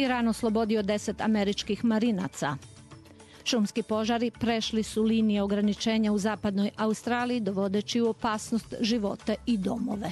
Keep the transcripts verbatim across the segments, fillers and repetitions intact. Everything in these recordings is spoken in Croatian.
Iran oslobodio deset američkih marinaca. Šumski požari prešli su linije ograničenja u zapadnoj Australiji, dovodeći u opasnost živote i domove.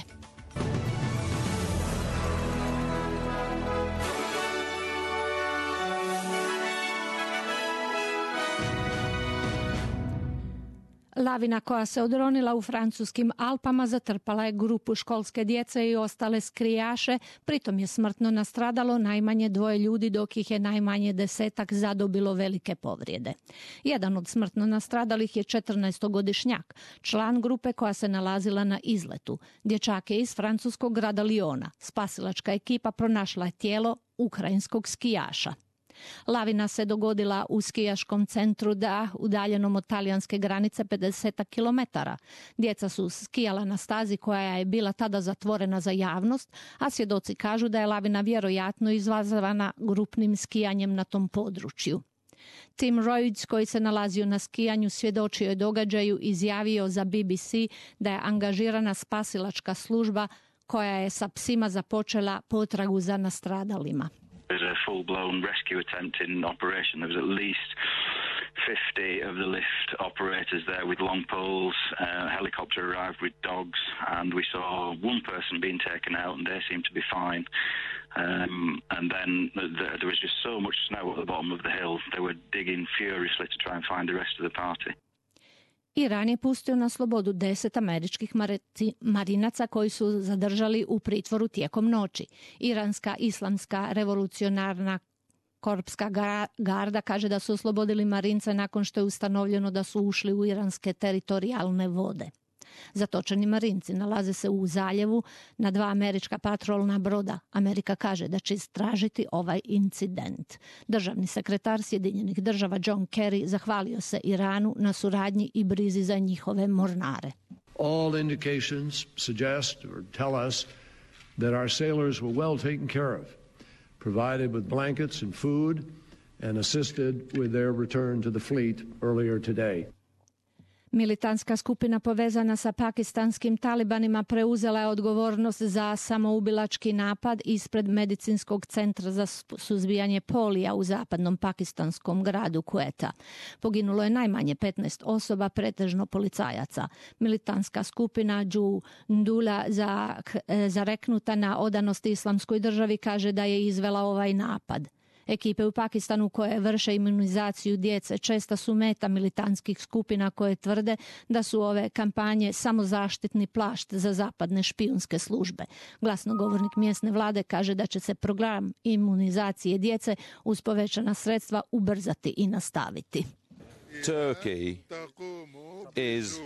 Lavina koja se odronila u francuskim Alpama zatrpala je grupu školske djece i ostale skijaše, pritom je smrtno nastradalo najmanje dvoje ljudi, dok ih je najmanje desetak zadobilo velike povrijede. Jedan od smrtno nastradalih je četrnaestogodišnjak, član grupe koja se nalazila na izletu. Dječak je iz francuskog grada Liona. Spasilačka ekipa pronašla je tijelo ukrajinskog skijaša. Lavina se dogodila u skijaškom centru Da, udaljenom od talijanske granice pedeset kilometara. Djeca su skijala na stazi koja je bila tada zatvorena za javnost, a svjedoci kažu da je lavina vjerojatno izazvana grupnim skijanjem na tom području. Tim Royds, koji se nalazio na skijanju, svjedočio je događaju i izjavio za B B C da je angažirana spasilačka služba koja je sa psima započela potragu za nastradalima. There's a full-blown rescue attempt in operation. There was at least fifty of the lift operators there with long poles. Uh, a helicopter arrived with dogs, and we saw one person being taken out, and they seemed to be fine. Um, and then the, the, there was just so much snow at the bottom of the hill. They were digging furiously to try and find the rest of the party. Iran je pustio na slobodu deset američkih marinaca koji su zadržali u pritvoru tijekom noći. Iranska islamska revolucionarna korpska garda kaže da su oslobodili marince nakon što je ustanovljeno da su ušli u iranske teritorijalne vode. Zatočeni marinci nalaze se u zaljevu na dva američka patrolna broda. Amerika kaže da će istražiti ovaj incident. Državni sekretar Sjedinjenih država John Kerry zahvalio se Iranu na suradnji i brizi za njihove mornare. All indications suggest or tell us that our sailors were well taken care of, provided with blankets and food, and assisted with their return to the fleet earlier today. Militantska skupina povezana sa pakistanskim talibanima preuzela je odgovornost za samoubilački napad ispred medicinskog centra za suzbijanje polija u zapadnom pakistanskom gradu Quetta. Poginulo je najmanje petnaest osoba, pretežno policajaca. Militantska skupina Džundula zareknuta na odanost islamskoj državi kaže da je izvela ovaj napad. Ekipe u Pakistanu koje vrše imunizaciju djece česta su meta militantskih skupina koje tvrde da su ove kampanje samo zaštitni plašt za zapadne špijunske službe. Glasnogovornik mjesne vlade kaže da će se program imunizacije djece uz povećana sredstva ubrzati i nastaviti. Turkey is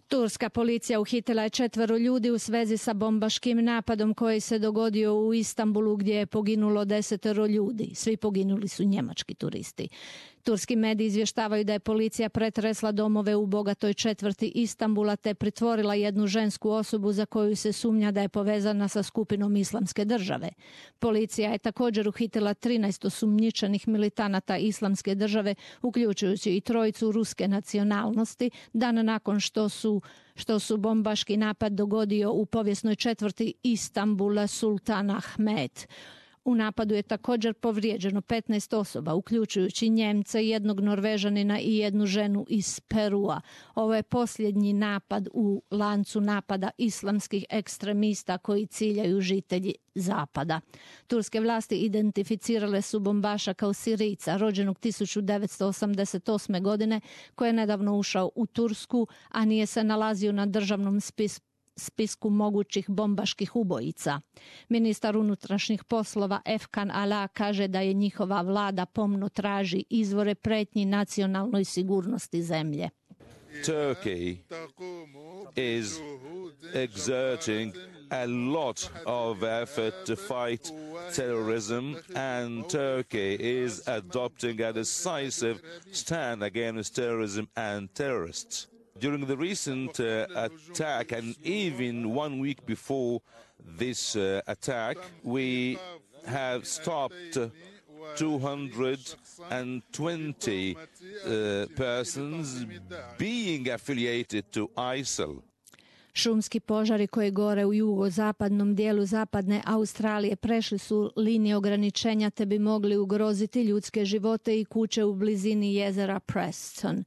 Turska policija uhitila je četvero ljudi u svezi sa bombaškim napadom koji se dogodio u Istanbulu gdje je poginulo desetero ljudi. Svi poginuli su njemački turisti. Turski mediji izvještavaju da je policija pretresla domove u bogatoj četvrti Istanbula te pritvorila jednu žensku osobu za koju se sumnja da je povezana sa skupinom Islamske države. Policija je također uhitila trinaest osumnjičenih militanata Islamske države, uključujući i trojicu ruske nacionalnosti, dan nakon što su što su bombaški napad dogodio u povijesnoj četvrti Istanbula Sultan Ahmed. U napadu je također povrijeđeno petnaest osoba, uključujući Njemce, jednog Norvežanina i jednu ženu iz Perua. Ovo je posljednji napad u lancu napada islamskih ekstremista koji ciljaju žitelji zapada. Turske vlasti identificirale su bombaša kao Sirijca, rođenog tisuću devetsto osamdeset osme. godine, koji je nedavno ušao u Tursku, a nije se nalazio na državnom spisku spisku mogućih bombaških ubojica. Ministar unutrašnjih poslova Efkan Ala kaže da je njihova vlada pomno traži izvore pretnji nacionalnoj sigurnosti zemlje. Turkey is exerting a lot of effort to fight terrorism, and Turkey is adopting a decisive stand against terrorism and terrorists. During the recent uh, attack, and even one week before this uh, attack, we have stopped two hundred twenty uh, persons being affiliated to I S I L. Šumski požari koji gore u jugozapadnom dijelu zapadne Australije prešli su linije ograničenja te bi mogli ugroziti ljudske živote i kuće u blizini jezera Preston.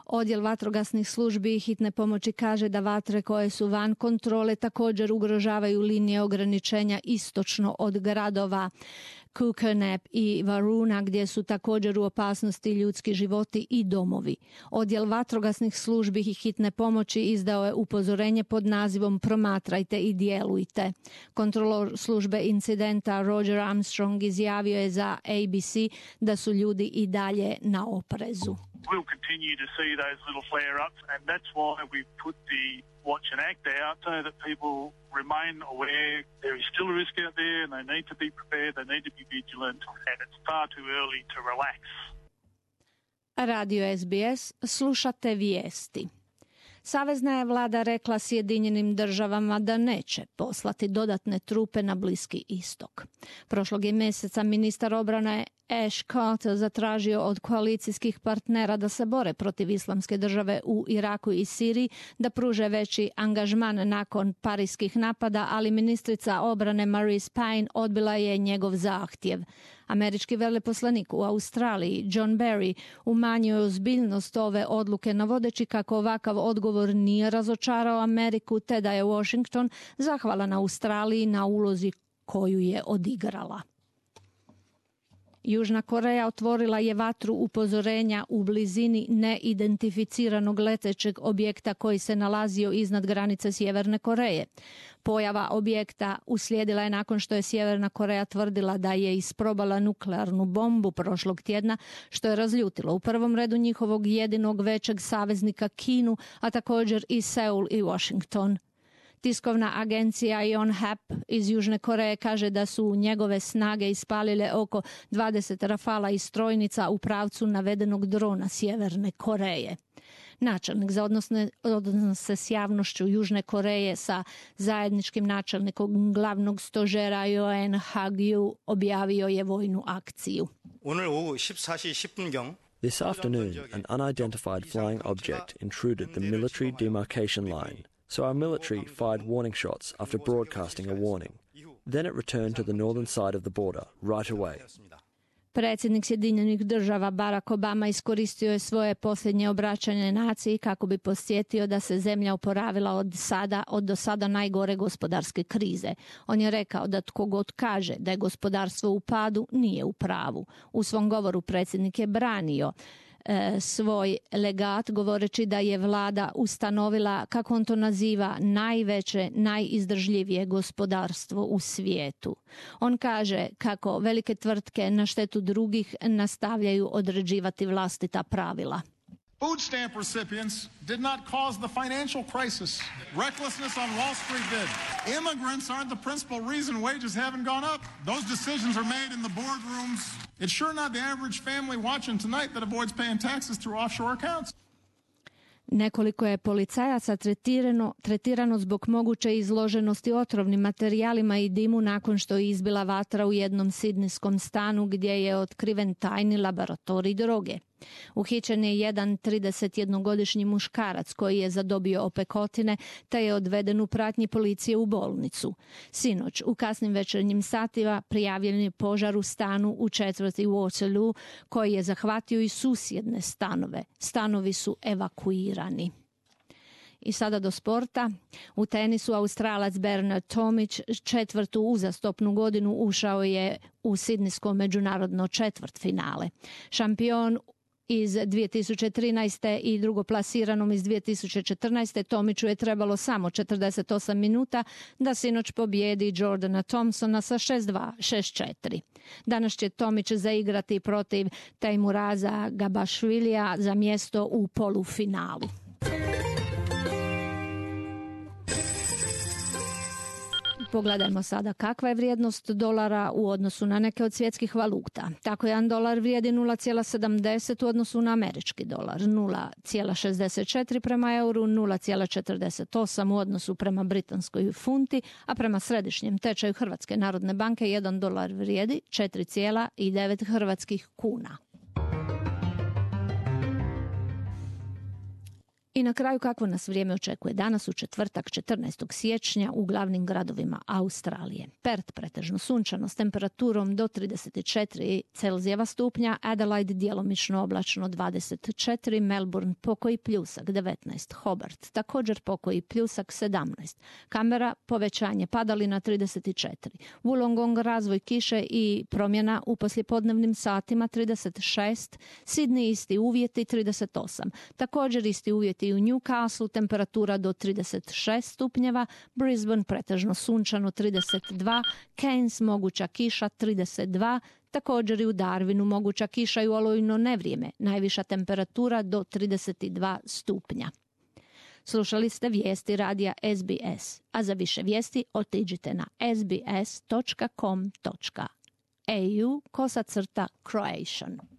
Odjel vatrogasnih službi i hitne pomoći kaže da vatre koje su van kontrole također ugrožavaju linije ograničenja istočno od gradova Kukenep i Varuna, gdje su također u opasnosti ljudski životi i domovi. Odjel vatrogasnih službi i hitne pomoći izdao je upozorenje pod nazivom Promatrajte i djelujte. Kontrolor službe incidenta Roger Armstrong izjavio je za A B C da su ljudi i dalje na oprezu. We'll continue to see those little flare-ups, and that's why we put the Watch and Act out, so that people remain aware there is still a risk out there and they need to be prepared, they need to be vigilant, and it's far too early to relax. Radio S B S, slušate vijesti. Savezna je vlada rekla Sjedinjenim državama da neće poslati dodatne trupe na Bliski istok. Prošlog je mjeseca ministar obrane Ash Carter zatražio od koalicijskih partnera da se bore protiv islamske države u Iraku i Siriji, da pruže veći angažman nakon parijskih napada, ali ministrica obrane Marise Payne odbila je njegov zahtjev. Američki veleposlanik u Australiji John Barry umanjio je ozbiljnost ove odluke navodeći kako ovakav odgovor nije razočarao Ameriku te da je Washington zahvalan Australiji na ulozi koju je odigrala. Južna Koreja otvorila je vatru upozorenja u blizini neidentificiranog letećeg objekta koji se nalazio iznad granice Sjeverne Koreje. Pojava objekta uslijedila je nakon što je Sjeverna Koreja tvrdila da je isprobala nuklearnu bombu prošlog tjedna, što je razljutilo u prvom redu njihovog jedinog većeg saveznika Kinu, a također i Seul i Washington. Tiskovna agencija Yonhap iz Južne Koreje kaže da su njegove snage ispalile oko dvadeset rafala i strojnica u pravcu navedenog drona Sjeverne Koreje. Načelnik za odnosne, odnose s javnošću Južne Koreje sa zajedničkim načelnikom glavnog stožera Yoon Hagyu objavio je vojnu akciju. This afternoon, an unidentified flying object intruded the military demarcation line. So our military fired warning shots after broadcasting a warning. Then it returned to the northern side of the border right away. Predsjednik Sjedinjenih država Barack Obama iskoristio je svoje posljednje obraćanje naciji kako bi podsjetio da se zemlja oporavila od sada, od do sada najgore gospodarske krize. On je rekao da tko god kaže da je gospodarstvo u padu nije u pravu. U svom govoru predsjednik je branio svoj legat govoreći da je vlada ustanovila, kako on to naziva, najveće, najizdržljivije gospodarstvo u svijetu. On kaže kako velike tvrtke na štetu drugih nastavljaju određivati vlastita pravila. Food stamp recipients did not cause the financial crisis. Recklessness on Wall Street did. Immigrants aren't the principal reason wages haven't gone up. Those decisions are made in the boardrooms. It's sure not the average family watching tonight that avoids paying taxes through offshore accounts. Nekoliko je policajaca tretirano, tretirano zbog moguće izloženosti otrovnim materijalima i dimu nakon što je izbila vatra u jednom sidnijskom stanu gdje je otkriven tajni laboratorij droge. Uhićen je jedan tridesetjednogodišnji muškarac koji je zadobio opekotine te je odveden u pratnji policije u bolnicu. Sinoć, u kasnim večernjim satima, prijavljen je požar u stanu u četvrti Waterloo koji je zahvatio i susjedne stanove. Stanovi su evakuirani. I sada do sporta. U tenisu Australac Bernard Tomić četvrtu uzastopnu godinu ušao je u sidnijsko međunarodno četvrtfinale. Šampion iz dvije tisuće trinaeste i drugoplasiranom iz dvije tisuće četrnaeste Tomiću je trebalo samo četrdeset osam minuta da sinoć pobijedi Jordana Thompsona sa šest dva, šest četiri. Danas će Tomić zaigrati protiv Teimuraza Gabašvilija za mjesto u polufinalu. Pogledajmo sada kakva je vrijednost dolara u odnosu na neke od svjetskih valuta. Tako jedan dolar vrijedi nula zarez sedamdeset u odnosu na američki dolar, nula zarez šezdeset četiri prema euru, nula zarez četrdeset osam u odnosu prema britanskoj funti, a prema središnjem tečaju Hrvatske narodne banke jedan dolar vrijedi četiri zarez devet hrvatskih kuna. I na kraju kakvo nas vrijeme očekuje danas u četvrtak četrnaestog siječnja u glavnim gradovima Australije. Perth pretežno sunčano s temperaturom do trideset četiri Celzijeva stupnja, Adelaide djelomično oblačno dvadeset četiri, Melbourne pokoji pljusak devetnaest, Hobart također pokoji pljusak sedamnaest, Canberra povećanje padalina trideset četiri, Wollongong razvoj kiše i promjena u poslijepodnevnim satima trideset šest, Sydney isti uvjeti trideset osam, također isti uvjeti i u Newcastle temperatura do trideset šest stupnjeva, Brisbane pretežno sunčano trideset dva, Cairns moguća kiša trideset dva, također i u Darwinu moguća kiša i u olujno nevrijeme, najviša temperatura do trideset dva stupnja. Slušali ste vijesti radija S B S, a za više vijesti otiđite na s b s dot com dot a u kosacrta Croatian.